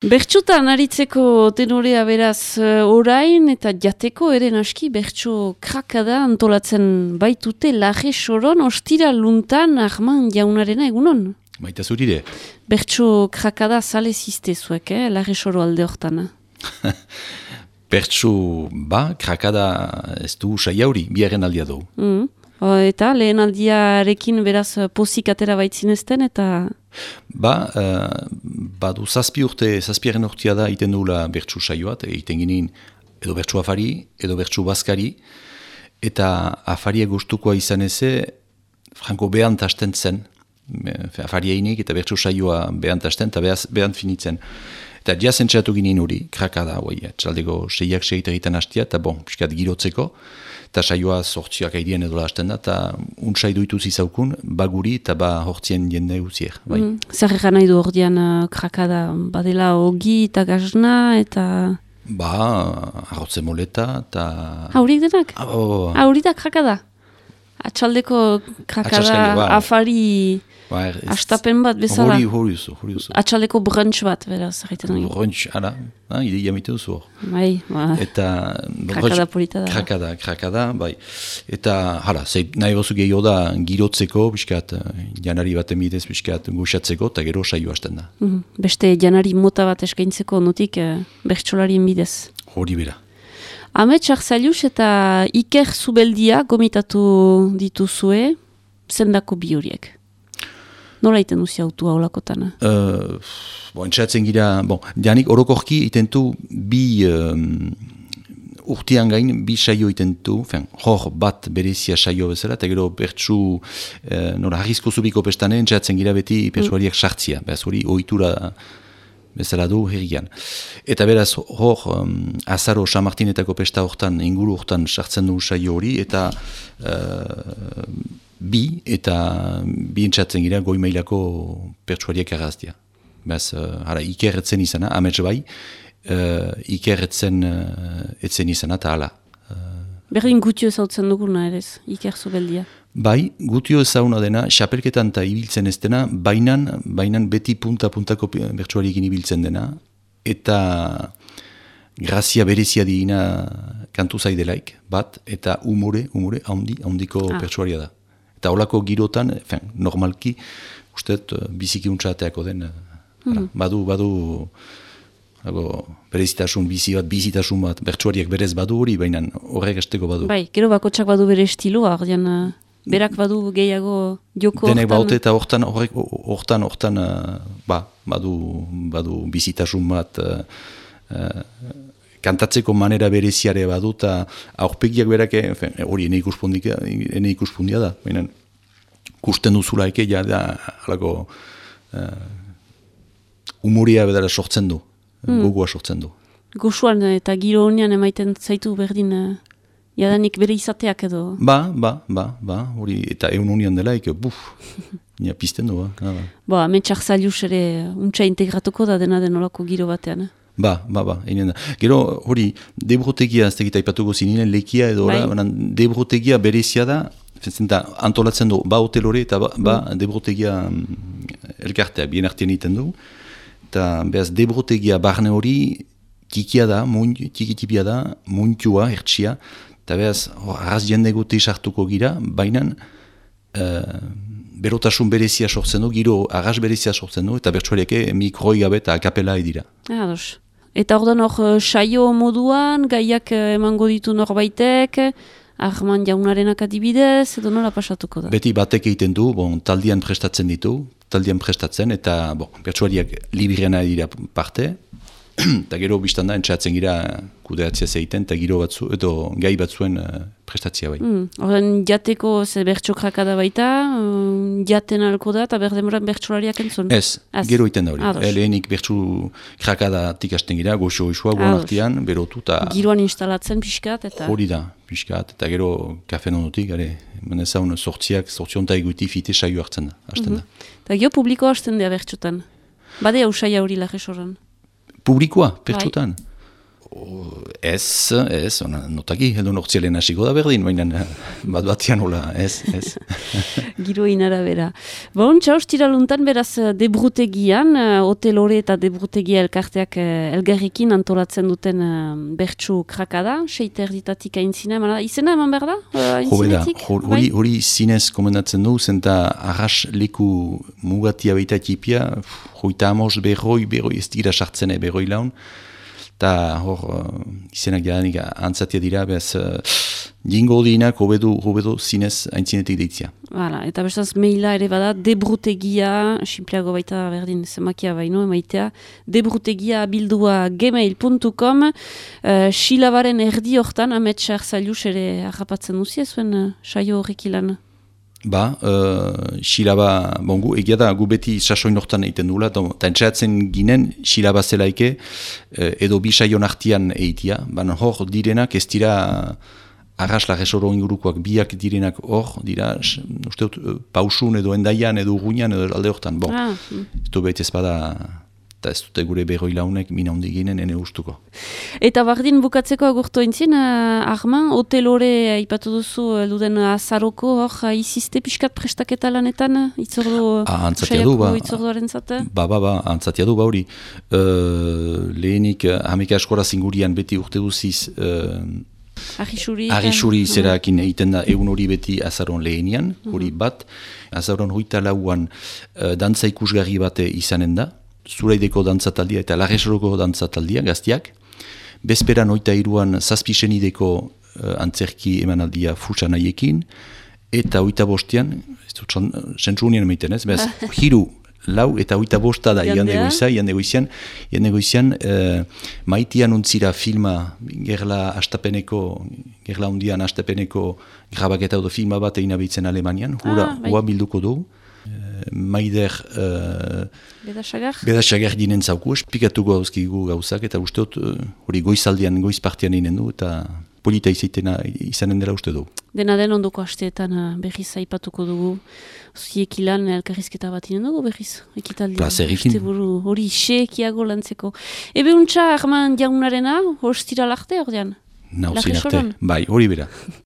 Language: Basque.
Bertsutan aritzeko tenorea beraz orain eta jateko ere naski bertso krakada antolatzen baitute Laje Soron ostira luntan Arman jaunarena egunon. Baita zurire. Bertso krakada zale ziste zuek, Laje Soro alde hortana. Bertso krakada ez du saia hori, biaren aldia dugu. Eta lehen aldiarekin beraz pozik atera baitzinezten eta... Badu zazpiaren urtea da iten duela bertsu saioat, egiten ginen edo bertsu afari, edo bertsu baskari, eta afaria gustukoa izan eze, franko behant hasten zen, afaria inik eta bertsu saioa behant hasten, eta behant finitzen. Eta jazentzatu ginen hori, krakada, txaldeko seiak egiten hastia, eta piskat girotzeko, eta saioa sortziak aidien edo hasten da, eta untsai duitu zizaukun, baguri eta hortzien jende guzier. Zer egan nahi du ordean krakada, badela ogi eta gazna, eta... Arrotze moleta, eta... Haurik denak? Haurik da krakada? Atxaldeko krakada, afari... Astapen bat bezala. Hori duzu. Atxaldeko brunch bat, beraz. Brunch, ara, ideia mite duzu hor. Eta... Krakada polita da. Krakada, bai. Eta, nahi bozu gehiago da girotzeko, biskat, janari bat emidez, biskat, guxatzeko, eta gero saio hasten da. Beste janari mota bat eskaintzeko notik, bertsolarien bidez. Hori bera. Amets Arzailus eta Iker Zubeldia gomitatu dituzue, zendako bi horiek. Nola iten duzia autua olakotana? Entzatzen gira, janik orokorki itentu bi urtean gain, bi saio itentu, hor bat berezia saio bezala, eta gero bertsu, harrizko zubiko pestane, entzatzen gira beti persuariak sartzia, beraz hori ohitura bezala du herrian. Eta beraz hor, azaro San Martinetako pesta hortan, inguru hortan sartzen du saio hori, eta... bi entzatzen gira goi mailako pertsuariak erraztia. Bez, Iker etzen izana, amets bai, Iker etzen izana, eta hala. Berdin gutio ezautzen duguna ere, Iker Zubeldia. Bai, gutio ezauna dena, xapelketan eta ibiltzen ez dena, bainan beti punta-puntako pertsuariekin ibiltzen dena, eta grazia berezia digina kantu zaidelaik, bat, eta umore handiko pertsuaria da. Eta holako girotan, normalki, usteet, biziki untxateako den, badu berezitasun bizitasun bat, bertsuariak berez badu hori, baina horrek esteko badu. Bai, gero bakotsak badu bere estiloa, berak badu gehiago joko denek baute eta hortan, badu bizitasun bat, kantatzeko manera bereziare badu, eta aurpegiak berak, hori ene ikuspundia da, baina kusten duzula eke, halako humoria bedara sortzen du, gogoa sortzen du. Goxuan eta giro honean emaiten zaitu berdin, jadanik bere izateak edo? Hori, eta egun honean dela, nia pizten du, Amets Arzailus ere untsa integratuko da dena denolako giro batean, Gero, hori, debrotegia, ez tegita ipatuko zininen, lekia edo, debrotegia berezia da, antolatzen du, hotel hori, eta debrotegia elkartea, bien artean iten du, eta behaz, debrotegia barne hori, tikitipia da, muntua, hertsia, eta behaz, arraz jende gote sartuko gira, baina, berotasun berezia sortzen du, giro arras berezia sortzen du, eta bertsuariake mikroi gabe eta akapela edira. Eta ordan hor saio moduan, gaiak emango ditu norbaitek, Arman jaunarenak adibidez, edo nola pasatuko da? Beti batek egiten du, taldian prestatzen, eta bertsuariak libriana edira parte, eta gero biztan da, entzatzen gira kudeatzea zeiten, eta giro batzu, edo gai batzuen prestatzea bai. Horren jateko ze bertso krakada baita, jaten alko da, eta berdemoran bertsolariak entzun? Ez, gero iten da hori. Lehenik bertso krakada tikasten gira, goxo-goxoa, guanartian, berotu, eta... Giroan instalatzen pixkat, eta... Hori da, pixkat, eta gero kafen ondotik, menezaun sortzionta eguiti fite saio hartzen da, hasten da. Eta gero publiko hasten da bertsotan? Bade hau saia hori Laje Soron? Publikoa, pertsotan. Ez, notaki, edo nortzialen hasiko da berdin, baina bat-batian hola, ez. Giroin arabera. Bon, ostiraluntan beraz debrutegian, hotelore eta debrutegia elkarteak elgarrikin antolatzen duten bertsu krakada, 6:00 aintzina, izena eman behar da? Aintzinetik? Hori zinez komendatzen du, zenta arras leku mugatia baita tipia, hoita amos berroi ez dira sartzen berroi laun, eta hor izenak jadanik antzatia dira, behaz jingo dinak hobedo zinez aintzinetik deitzia. Hala, eta bestaz maila ere bada, debrutegia, simpleago baita berdin zemakia baino, emaitea, debrutegia bildua gmail.com, silabaren erdi hortan, Amets Arzailus ere harrapatzen duzia zuen saio horrek ilan. Silaba, bongu, egia da, gu beti sasoin hortan egiten dula, eta entxeatzen ginen, silaba zelaike, edo bi saion artian eitia, baina hor direnak ez dira arras lagesoro ingurukoak biak direnak hor, dira, usteut, pausun edo endaian, edo urguinan, edo alde hortan, ez du behit ez bada, eta ez dute gure berroi launek mina hondi ginen ene ustuko. Eta bardin bukatzeko agurtu entzien, Arman, hotelore ipatu duzu duden azaroko hor izizte pixkat prestaketa lanetan, itzordu saiako itzorduaren zate? Antzatia du, hori. Lehenik, hameka eskola zingurian beti urte duziz, Arrisuri zerakin egiten da egun hori beti azaron lehenian, hori bat, azaron hoita lauan dantza ikusgarri bate izanen da, Zuraideko dantzataldia eta Larresoroko dantzataldia gaztiak. Bezperan 23an zazpisenideko antzerki emanaldia futsanaiekin. Eta 25an, ez dut zentzu unien emaiten ez, bez, hiru, lau eta 25 da igande goizian, maitian untzira filma gerla hundian astapeneko grabaketa edo filma bat egin abitzen Alemanian, hua bilduko du. Maider Bedasagar dinen zauku, espikatuko hauzkigu gauzak, eta usteot hori goizaldian, goizpartian eginen du, eta polita izanen dela uste du. Dena den ondoko hasteetan berriz aipatuko dugu, ziek ilan elkarrizketa bat inen dugu berriz, ekitaldian. Plazerikin. Hori isekiago lantzeko. Ebe untxa, Arman jaunarena, hostira larte ordean? Nauzin arte, bai, hori bera.